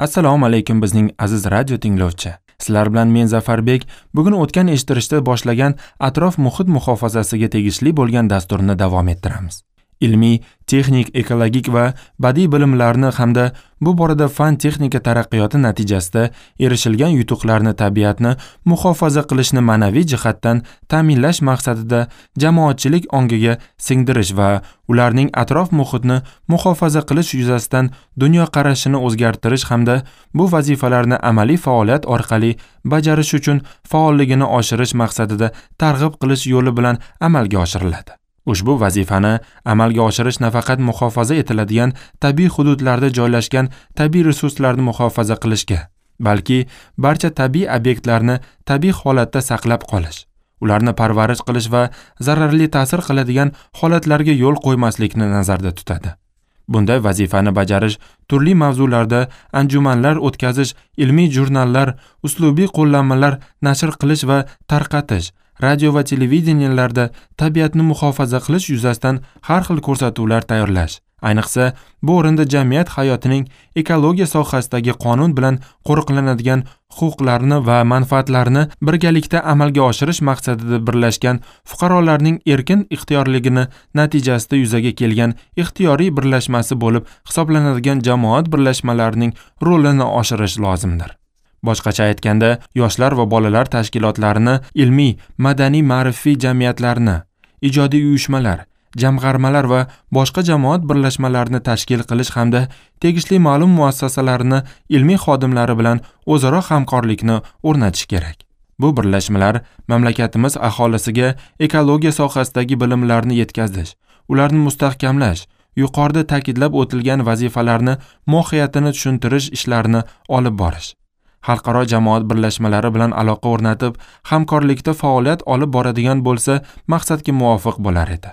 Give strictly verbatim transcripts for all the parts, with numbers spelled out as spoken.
Assalomu alaykum bizning aziz radio tinglovchi. Sizlar bilan men Zafarbek bugun o'tgan eshittirishda boshlagan atrof muhit muhofazasiga tegishli bo'lgan dasturni davom ettiramiz. Ilmiy, texnik, ekologik va badiiy bilimlarni hamda bu borada fan texnika taraqqiyoti natijasida erishilgan yutuqlarni tabiatni muhofaza qilishni ma'naviy jihatdan ta'minlash maqsadida jamoatchilik ongiga singdirish va ularning atrof muhitni muhofaza qilish yuzasidan dunyoqarashini o'zgartirish hamda bu vazifalarni amaliy faoliyat orqali bajarish uchun faolligini oshirish maqsadida targ'ib qilish yo'li bilan amalga oshiriladi. Ushbu vazifani amalga oshirish nafaqat muhofaza etiladigan tabiiy hududlarda joylashgan tabiiy resurslarni muhofaza qilishga, balki barcha tabiiy obyektlarni tabiiy holatda saqlab qolish, ularni parvarish qilish va zararli ta'sir qiladigan holatlarga yo'l qo'ymaslikni nazarda tutadi. Bunday vazifani bajarish turli mavzularda anjumanlar o'tkazish, ilmiy jurnallar, uslubiy qo'llanmalar nashr qilish va tarqatish, radio va televideniyelarda tabiatni muhofaza qilish yuzasidan har xil ko'rsatuvlar tayyorlash, ayniqsa bu o'rinda jamiyat hayotining ekologiya sohasidagi qonun bilan qo'riqlanadigan huquqlarni va manfaatlarni birgalikda amalga oshirish maqsadida birlashgan fuqarolarning erkin ixtiyorligini natijasida yuzaga kelgan ixtiyoriy birlashmasi bo'lib hisoblanadigan jamoat birlashmalarining rolini oshirish lozimdir. Boshqacha aytganda, yoshlar va bolalar tashkilotlarini, ilmiy, madaniy, ma'rifiy jamiyatlarni, ijodiy uyushmalar, jamg'armalar va boshqa jamoat birlashmalarini tashkil qilish hamda tegishli ma'lum muassasalarni ilmiy xodimlari bilan o'zaro hamkorlikni o'rnatish kerak. Bu birlashmalar mamlakatimiz aholisiga ekologiya sohasidagi bilimlarni yetkazish, ularni mustahkamlash, yuqorida ta'kidlab o'tilgan vazifalarni mohiyatini tushuntirish ishlarini olib borish, xalqaro jamoat birlashmalari bilan aloqa o'rnatib, hamkorlikda faoliyat olib boradigan bo'lsa, maqsadga muvofiq bo'lar edi.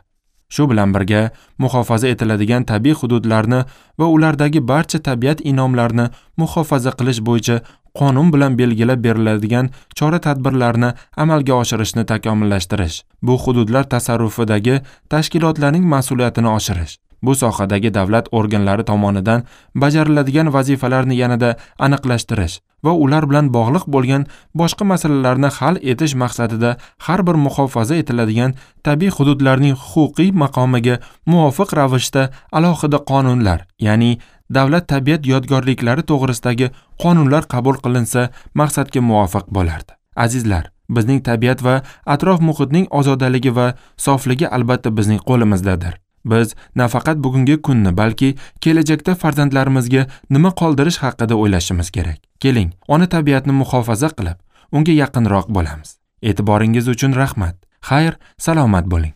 Shu bilan birga, muhofaza etiladigan tabiiy hududlarni va ulardagi barcha tabiat inomlarini muhofaza qilish bo'yicha qonun bilan belgilab beriladigan chora-tadbirlarni amalga oshirishni takomillashtirish, bu hududlar tasarrufidagi tashkilotlarning mas'uliyatini oshirish, bu sohadagi davlat organlari tomonidan bajariladigan vazifalarni yanada aniqlashtirish va ular bilan bog'liq bo'lgan boshqa masalalarni hal etish maqsadida har bir muhofaza etiladigan tabiiy hududlarning huquqiy maqomiga muvofiq ravishda alohida qonunlar, ya'ni davlat tabiat yodgorliklari to'g'risidagi qonunlar qabul qilinsa maqsadga muvofiq bo'lardi. Azizlar, bizning tabiat va atrof muhitning ozodaligi va sofligi albatta bizning qo'limizdadir. Biz nafaqat bugungi kunni, balki kelajakda farzandlarimizga nima qoldirish haqida o'ylashimiz kerak. Keling, ona tabiatni muhofaza qilib, unga yaqinroq bo'lamiz. E'tiboringiz uchun rahmat. Xayr, salomat bo'ling.